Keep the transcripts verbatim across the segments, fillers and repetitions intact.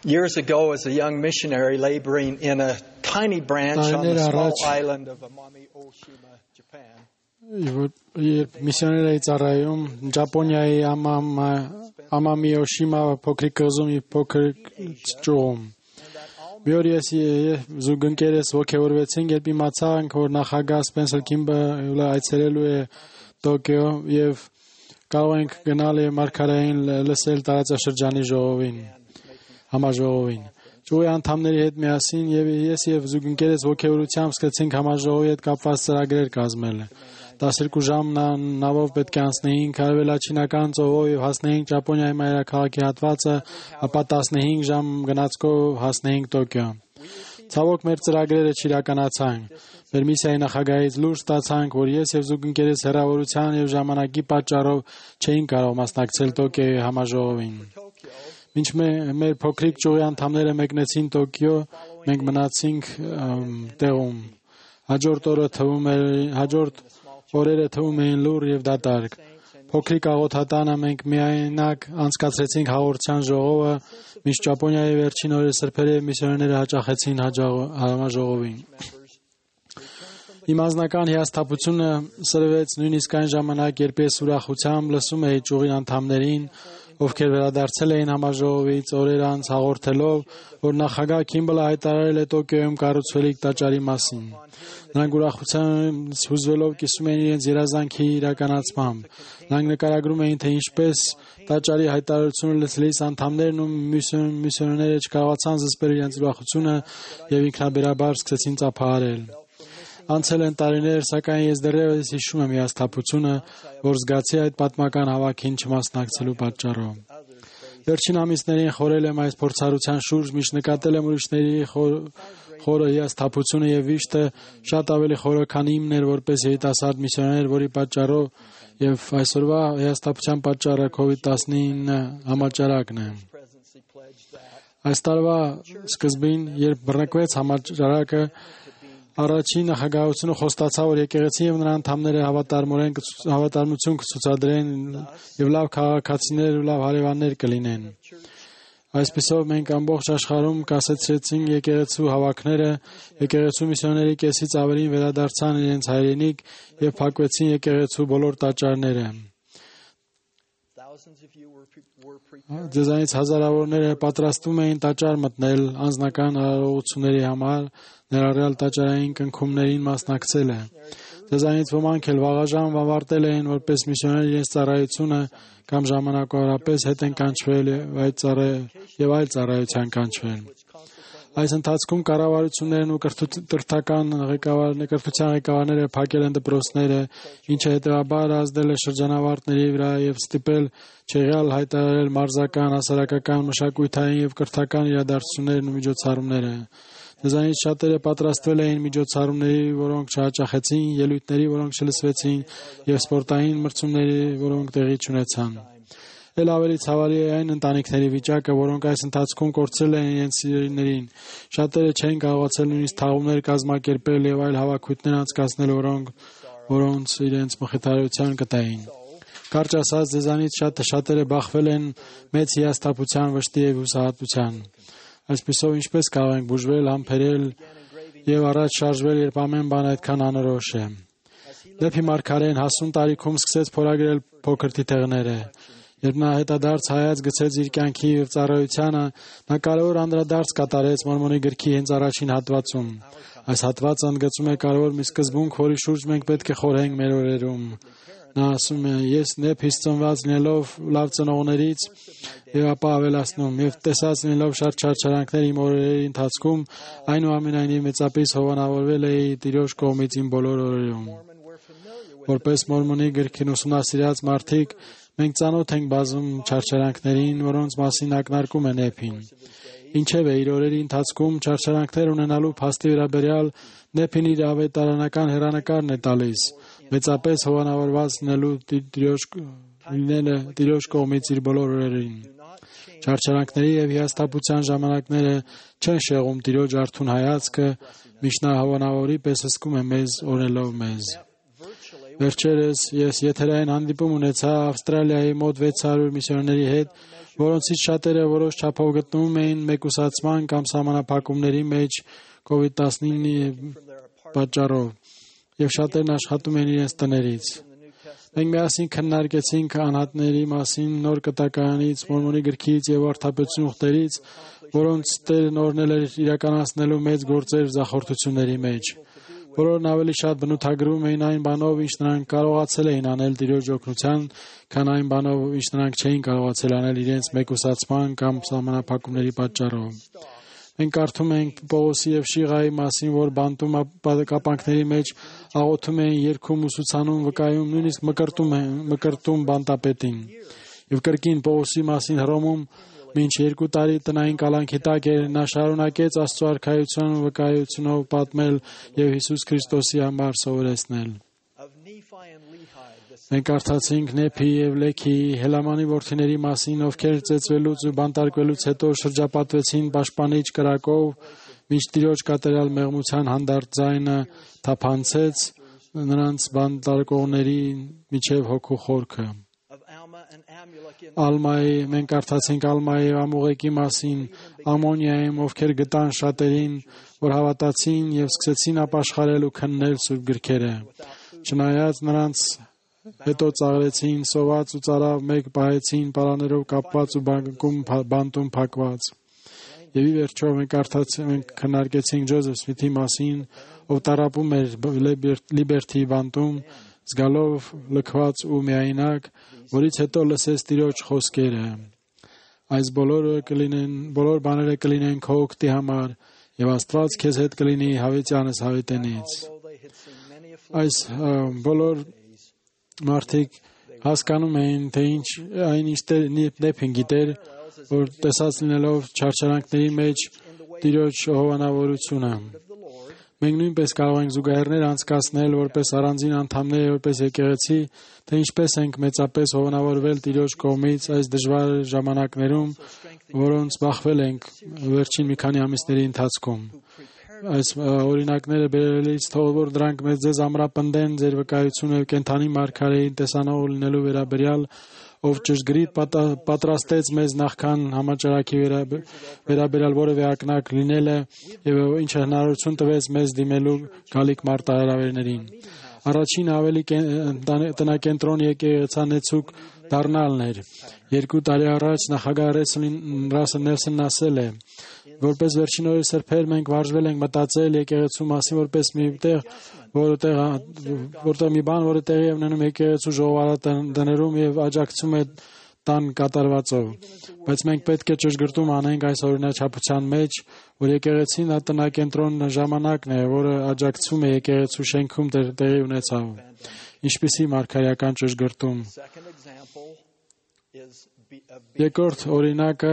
Years ago, as a young missionary laboring in a tiny branch on the small island of Amami Oshima, Japan. Միսիոներ էի ծառայում Ճապոնիայի Ամամի Օշիմա փոքրիկ կղզում եւ փոքրիկ ճյուղում։ Մի օր ես զուգընկերս ողջորվեցին, երբ իմացանք, որ նախագահ Սպենսեր Քիմբը այցելելու է Տոկիո եւ կարող ենք գնալ եւ մարգարեին լսել տարածաշրջանի ժողովին, համաժողովին։ Ճյուղի անդամների հետ միասին եւ ես եւ զուգընկերս ողջորությամբ սկսեցինք համաժողովի հետ կապված ծրագրեր կազմել։ տասներկու ժամ նավով պետք է անցնեինք արևելաչինական ծովով եւ հասնեինք Ճապոնիայի մայրաքաղաքի հատվածը, ապա տասնհինգ ժամ գնացքով հասնեինք Տոկիո։ Ցավոք մեր ծրագրերը չիրականացան։ Մեր միսիայի նախագահից լուր ստացանք, որ ես եւ զուգընկերս հեռավորության եւ ժամանակի պատճառով չէին կարող մասնակցել Տոկիոյի համաժողովին։ Մինչ մեր փոքրիկ ճյուղի անդամները մեկնեցին Տոկիո, մենք մնացինք տեղում։ Հաջորդ օրը թվում էր, հաջորդ օրերը թվում էին լուր եւ դատարկ։ Փոքրիկ աղոթատանը մենք միայնակ անցկացրեցինք հաղորդության ժողովը, մինչ Ճապոնիայի վերջին օրերը սրբերը եւ միսիոներները հաճախեցին համաժողովին։ Իմ անձնական հիասթափությունը սրվեց նույնիսկ այն ժամանակ, երբ ես ուրախությամբ լսում էի ճյուղի անդամներին, ովքեր վերադարձել էին համաժողովից օրեր անց հաղորդելով, որ նախագահ Քիմբլը հայտարարել է Տոկիոյում կառուցվելիք տաճարի մասին։ Նրանք ուրախությամբ հուզվելով կիսում էին իրենց երազանքի իրականացմամբ։ Նրանք նկարագրում էին, թե ինչպես տաճարի հայտարարությունը լսելիս անդամներն ու միսիոներները չկարողացան զսպել իրենց ուրախությունը եւ ինքնաբերաբար սկսեցին ծափահարել։ Անցել են տարիներ, սակայն ես դեռևս հիշում եմ հիասթափությունը, որ զգացի այդ պատմական հավաքին չմասնակցելու պատճառով։ Վերջին ամիսներին խորել եմ այս փորձառության շուրջ, միշտ նկատել եմ ուրիշների խորը հիասթափությունը եւ վիշտը շատ ավելի խորը, քան իմն էր որպես երիտասարդ միսիոներ, որի պատճառով եւ այսօրվա հիասթափության պատճառը քովիդ տասնինը համաճարակն է։ Այս տարվա սկզբին, երբ բռնկվեց համաճարակը, առաջին նախագահությունը խոստացավ, որ եկեղեցին եւ նրա անդամները հավատարմորեն հավատարմություն կցուցադրեն եւ լավ քաղաքացիներ ու լավ հարևաններ կլինեն։ Այսպիսով մենք ամբողջ աշխարհում կասեցրեցինք եկեղեցու հավաքները, եկեղեցու միսիոների կեսից ավելին վերադարձան իրենց հայրենիք եւ փակվեցին եկեղեցու բոլոր տաճարները։ Ձեզանից հազարավորները պատրաստվում էին տաճար մտնել անձնական արարողությունների համար, ներառյալ տաճարային կնքումներին մասնակցելը։ Ձեզանից ոմանք էլ վաղաժամ ավարտել էին որպես միսիոներ իրենց ծառայությունը կամ ժամանակավորապես հետ են կանչվել եւ այլ ծառայության կանչվել։ Այս ընթացքում կառավարություններն ու կրթական կրթության ղեկավարները փակել են դպրոցները, ինչը հետևաբար ազդել է շրջանավարտների վրա եւ ստիպել չեղյալ հայտարարել մարզական, հասարակական, մշակութային եւ կրթական իրադարձություններն ու միջոցառումները։ Դրանից շատերը պատրաստվել էին միջոցառումների, որոնք չհաճախեցին, ելույթների, որոնք չլսվեցին, եւ սպորտային մրցումների, որոնք տեղի չունեցան։ Էլ ավելի ցավալի է այն ընտանիքների վիճակը, որոնք այս ընթացքում կորցրել են իրենց սիրելիներին։ Շատերը չեն կարողացել նույնիսկ թաղումներ կազմակերպել եւ այլ հավաքույթներ անցկացնել, որոնք որոնց իրենց մխիթարության կտային։ Կարճ ասած, ձեզանից շատ շատերը բախվել են մեծ հիասթափության, վշտի եւ հուսահատության։ Այսպիսով ինչպես կարող ենք բուժվել, համբերել եւ առաջ շարժվել, երբ ամեն բան այդքան անորոշ է։ Դեպի մարգարեն հասուն տարիքում սկսեց փորագրել փոքր թիթեղները։ Երբ նա հետադարձ հայաց գցեց իր կյանքի եւ ծառայությանը, նա կարևոր անդրադարձ կատարեց Մորմոնի գրքի հենց առաջին հատվածում։ Այս հատվածը ընդգծում է կարևոր մի սկզբունք, որի շուրջ մենք պետք է խորհենք մեր օրերում։ Նա ասում է. «Ես նեփից ծնված լինելով լավ ծնողներից եւ ապա ավելացնում եւ տեսած լինելով շատ չարչարանքներ իմ օրերի ընթացքում, այնուամենայնիվ մեծապես հովանավորվել էի Տիրոջ կողմից իմ բոլոր օրերում»։ Որպես Մորմոնի գրքին ուսումնասիրած մարդիկ մենք ծանոթ ենք բազում չարչարանքներին, որոնց մասին ակնարկում է Նեփին։ Ինչևէ, իր օրերի ընթացքում չարչարանքներ ունենալու փաստի վերաբերյալ Նեփին իր ավետարանական հեռանկարն է տալիս, մեծապես հովանավորված լինելու լինելը Տիրոջ կողմից իր բոլոր օրերին։ Չարչարանքների եւ հիասթափության ժամանակները չեն շեղում Տիրոջ արթուն հայացքը, միշտ նա հովանավորի պես հսկում է մեզ, օրելով մեզ։ Վերջերս ես եթերային հանդիպում ունեցա Ավստրալիայի մոտ վեց հարյուր միսիոներների հետ, որոնցից շատերը որոշ չափով գտնվում էին մեկուսացման կամ սահմանափակումների մեջ կովիդ տասնինը պատճառով, եւ շատերն աշխատում են իրենց տներից։ Մենք միասին քննարկեցինք անհատների մասին նոր կտակարանից, Մորմոնի գրքից եւ արդարացություն ուխտերից, որոնց Տերն օրհնել էր իրականացնելու մեծ գործեր զախորտությունների մեջ։ Բոլորն ավելի շատ բնութագրում էին այն բանով, ինչ նրանք կարողացել էին անել Տիրոջ օգնության, քան այն բանով, ինչ նրանք չէին կարողացել անել իրենց մեկուսացման կամ սահմանափակումների պատճառով։ Մենք կարդում ենք Պողոսի եւ Շիղայի մասին, որ բանտում կապանքների մեջ աղոթում էին, երգում, ուսուցանում, վկայում, նույնիսկ մկրտում են, մկրտում բանտապետին։ Եվ կրկին Պողոսի մասին Հռոմում մինչ երկու տարի տնային կալանքի տակ էր, նա շարունակեց Աստծո արքայության ու վկայությունով պատմել եւ Հիսուս Քրիստոսի համար սովորեցնել։ Մենք կարդացինք Նեփի եւ Լեքի Հելամանի որդիների մասին, ովքեր ծեծվելուց ու բանտարկվելուց հետո շրջապատվեցին պաշտպանիչ կրակով, մինչ Տիրոջ կատարյալ մեղմության հանդարտ ձայնը թափանցեց նրանց բանտարկողների միջև հոգու խորքը։ Ալմայի, մենք կարդացինք Ալմայի եւ Ամուղեկի մասին, Ամոնիայում, ովքեր գտան շատերին, որ հավատացին եւ սկսեցին ապաշխարել ու քննել սուրբ գրքերը։ Չնայած նրանց հետո ծաղրեցին, սոված ու ծարավ մեկ պահեցին, պարաներով կապված ու բանկում բանտում փակված։ Եվ ի վերջո մենք կարդացինք, մենք քննարկեցինք Ջոզեֆ Սմիթի մասին, ով տառապում էր Լիբերթի բանտում, զգալով լքված ու միայնակ, որից հետո լսեց Տիրոջ խոսքերը. այս բոլորը կլինեն, բոլոր բաները կլինեն քո օգտի համար, եւ Աստված քեզ հետ կլինի հավիտյանս հավիտենից։ Այս բոլոր մարդիկ հասկանում էին, թե ինչ այն ինչ Նեփին գիտեր, որ տեսած լինելով չարչարանքների մեջ Տիրոջ հովանավորությունը։ Մենք նույնպես կարող ենք զուգահեռներ անցկացնել որպես առանձին անդամներ, որպես եկեղեցի, թե ինչպես ենք մեծապես հովանավորվել Տիրոջ կողմից այս դժվար ժամանակներում, որոնց բախվել ենք վերջին մի քանի ամիսների ընթացքում։ Այս օրինակները բերելիս թող որ դրանք մեզ ձեզ ամրապնդեն ձեր վկայությունը կենթանի մարգարեի տեսանող լինելու վերաբերյալ, ով ճշգրիտ պատրաստեց մեզ նախքան համաճարակի վերաբերյալ որևէ ակնակ լինելը եւ ինչ հնարավորություն տվեց մեզ դիմելու գալիք մարտահրավերներին։ Առաջին ավելի տնակենտրոն եկեղեցանեցուկ դառնալն էր։ Երկու տարի առաջ նախագահ Ռասել Նելսոնն ասել է, որպես վերջին օրի սրբեր մենք վարժվել ենք մտածել եկեղեցու մասին որպես մի տեղ, որտեղ որտեղ մի բան, որը տեղի է ունենում եկեղեցու ժողովարդատներում եւ աջակցում է տան կատարվածով։ Բայց մենք պետք է ճշգրտում անենք այս օրինաչափության մեջ, որ եկեղեցին ատնակենտրոն ժամանակն է, որը աջակցում է եկեղեցու շենքում տեղի ունեցավ։ Ինչպիսի մարգարեական ճշգրտում։ Երկրորդ օրինակը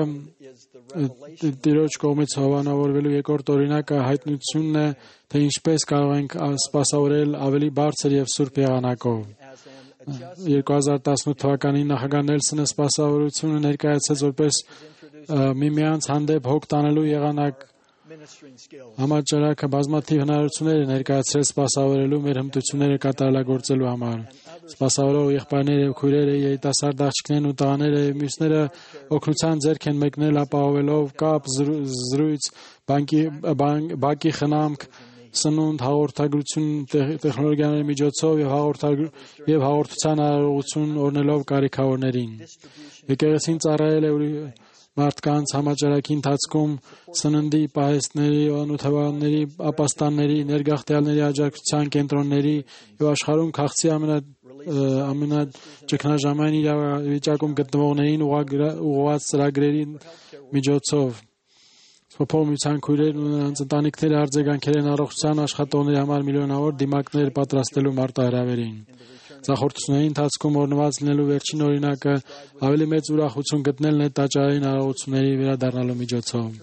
Տիրոջ կողմից հովանավորվելու երկրորդ օրինակը հայտնությունն է, թե ինչպես կարող ենք սպասավորել ավելի բարձր եւ սուրբ եղանակով։ երկու հազար տասնութ թվականին նախագահ Նելսոնը սպասավորությունը ներկայացրեց որպես միմյանց հանդեպ հոգ տանելու եղանակ։ Համաճարակը բազմաթիվ հնարավորություններ է ներկայացրել սպասավորելու մեր հմտությունները կատարելագործելու համար։ Սպասավորող եղբայրները եւ քույրերը, երիտասարդ աղջիկներն ու տղաները եւ մյուսները օգնության ձեռք են մեկնել ապահովելով կապ, զրույց, բակի խնամք, սնունդ, հաղորդագրություն տեխնոլոգիաների միջոցով եւ եւ հաղորդության արարողություն օրնելով կարիքավորներին։ Եկեղեցին ծառայել է մարդկանց համաճարակի ընթացքում սննդի, պահեստների, անոթավանների, ապաստանների, ներգաղթյալների աջակցության կենտրոնների եւ աշխարհում քաղցի ամենաճգնաժամային իրավիճակում գտնվողներին ուղղված ծրագրերի միջոցով։ Սփոփողության քույրերն ու նրանց ընտանիքները արձագանքել են առողջության աշխատողների համար միլիոնավոր դիմակներ պատրաստելու մարտահրավերին։ Զախորտությունների ընթացքում օրնված լինելու վերջին օրինակը ավելի մեծ ուրախություն գտնելն է տաճարային արարողությունների վերադառնալու միջոցով։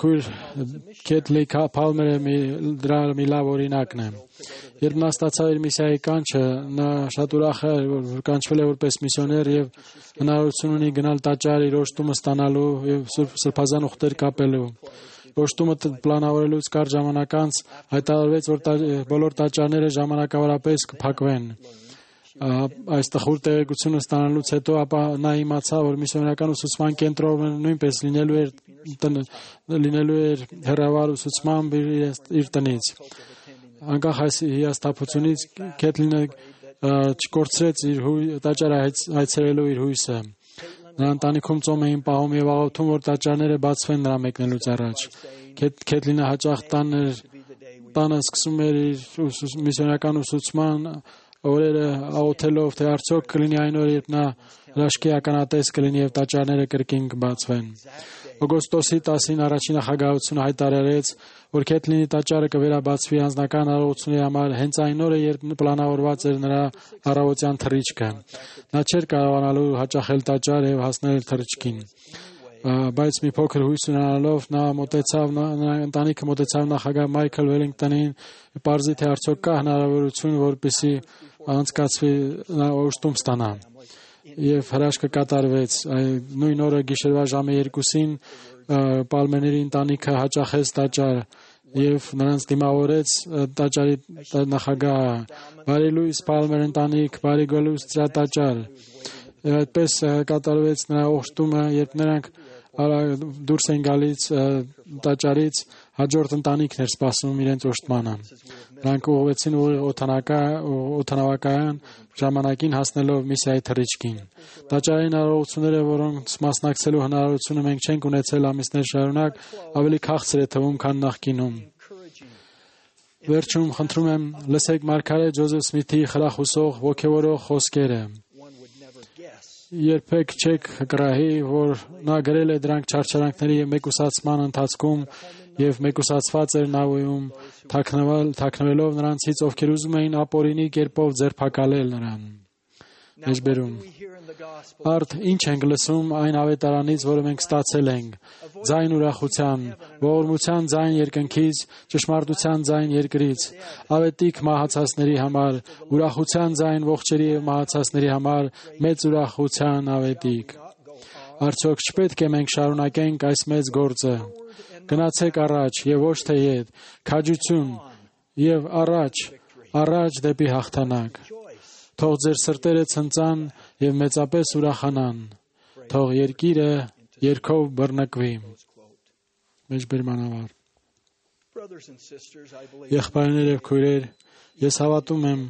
Քույր Քեթլի Փալմերը դրա մի լավ օրինակն է։ Երբ նա ստացավ իր միսիայի կանչը, նա շատ ուրախ էր, որ կանչվել է որպես միսիոներ եւ հնարավորություն ունի գնալ տաճար իր օժտումը ստանալու եւ սրբազան ուխտեր կապելու։ Օշտումը պլանավորելուց կար ժամանակ անց հայտարարվեց, որ բոլոր տաճարները ժամանակավորապես կփակվեն։ Այս տխուր տեղեկությունը ստանալուց հետո ապա նա իմացավ, որ միսիոներական ուսուցման կենտրոնը նույնպես լինելու էր լինելու էր հեռավար ուսուցմամբ իր տնից։ Անկախ այս հիասթափությունից Քեթլինը չկորցրեց իր տաճարը հայցրելու իր հույսը։ Նրա ընտանիքում ծոմ էին պահում եւ աղոթում, որ տաճարները բացվեն նրա մեկնելուց առաջ։ Քեթլինը հաճախ տանը սկսում էր իր միսիոներական ուսուցման օրերը աղոթելով, թե արդյոք կլինի այն օրը, երբ նա հրաշքի ականատես կլինի եւ տաճարները կրկին կբացվեն։ Օգոստոսի տասին առաջին նախագահությունը հայտարարեց, որ Քեթլինի տաճարը կվերաբացվի անձնական առողջությունների համար հենց այն օրը, երբ պլանավորված էր նրա առավոտյան թռիչքը։ Նա չէր կարողանալու հաճախել տաճար եւ հասնել թռիչքին։ Բայց մի փոքր հույս ունենալով նա մոտեցավ նրա ընտանիքը մոտեցավ նախագահ Մայքլ Վելինգտոնին, պարզի թե արդյոք կա հնարավորություն, որպեսզի անցկացվի նա օժտում ստանա։ Եվ հրաշքը կատարվեց։ Նույն օրը գիշերվա ժամը երկուսին Պալմերների ընտանիքը հաճախեց տաճար եւ նրանց դիմավորեց տաճարի նախագահը։ Բարի լույս Պալմեր ընտանիք, բարի գալուս ձեր տաճար։ Եվ այդպես կատարվեց նրա օժտումը, երբ նրանք դուրս են գալիս տաճարից, հաջորդ ընտանիքն էր սպասում իրենց օժտմանը։ Նրանք ուղղվեցին օդանավակայան ժամանակին հասնելով միսիայի թռիչքին։ Տաճարային առողջությունները, որոնց մասնակցելու հնարավորությունը մենք չենք ունեցել ամիսներ շարունակ, ավելի քաղցր է թվում, քան նախկինում։ Վերջում խնդրում եմ լսեք մարգարե Ջոզեֆ Սմիթի խրախուսող ոգևորող խոսքերը։ Երբեք չեք կռահի, որ նա գրել է դրանք չարչարանքների եւ մեկուսացման ընթացքում եւ մեկուսացված էր Նավոյում, թաքնվելով նրանցից, ովքեր ուզում էին ապօրինի կերպով ձերբակալել նրան։ Մեջբերում։ Արդ ինչ ենք լսում այն ավետարանից, որը մենք ստացել ենք։ Ձայն ուրախության, ողորմության ձայն երկնքից, ճշմարտության ձայն երկրից, ավետիք մահացածների համար, ուրախության ձայն ողջերի եւ մահացածների համար, մեծ ուրախության ավետիք։ Արդյոք չպետք է մենք շարունակենք այս մեծ գործը։ Գնացեք առաջ եւ ոչ թե ետ, քաջություն եւ առաջ, առաջ դեպի հաղթանակ։ Թող ձեր սրտերը ցնծան եւ մեծապես ուրախանան։ Թող երկիրը երգով բռնկվի։ Մեջբերմանավար։ Եղբայրներ եւ քույրեր, ես հավատում եմ,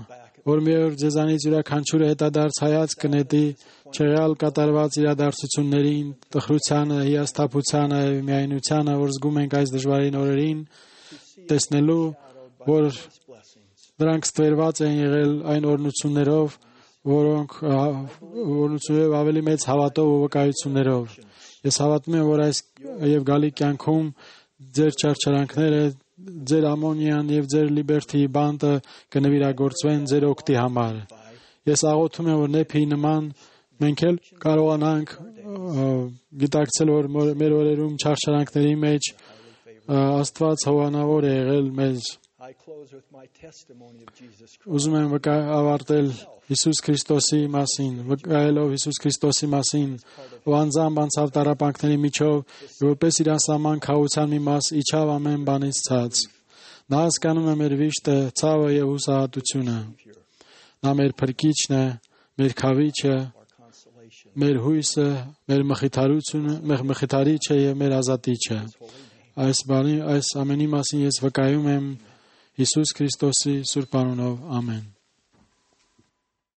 որ մի օր ձեզանից յուրաքանչյուրը հետադարձ հայացք կնետի չեղյալ կատարված իրադարձություններին, տխրությանը, հիասթափությանը եւ միայնությանը, որ զգում ենք այս դժվարին օրերին, տեսնելու, որ դրանք ստվերված են եղել այն օրհնություններով, որոնք օրհնություններով ավելի մեծ հավատով ու վկայություններով։ Ես հավատում եմ, որ այս եւ գալի կյանքում ձեր չարչարանքները, ձեր ամոնիան եւ ձեր լիբերթի բանտը կնվիրագործվեն ձեր օգտի համար։ Ես աղոթում եմ, որ նեփի նման մենք էլ կարողանանք գիտակցել, որ մեր օրերում չարչարանքների մեջ Աստված հովանավոր է եղել մեզ։ Ուզում եմ ավարտել Հիսուս Քրիստոսի մասին, վկայելով Հիսուս Քրիստոսի մասին, ով անձամբ անցավ տառապանքների միջով, որպես իր անսահման քավության մի մաս իջավ ամեն բանից ցած։ Նա հասկանում է մեր վիշտը, ցավը եւ հուսահատությունը։ Նա մեր փրկիչն է, մեր քավիչը, մեր հույսը, մեր մխիթարությունը, մեր մխիթարիչը եւ մեր ազատիչը։ Այս բանի, այս ամենի մասին ես վկայում եմ Հիսուս Քրիստոսի սուրբ անունով, ամեն։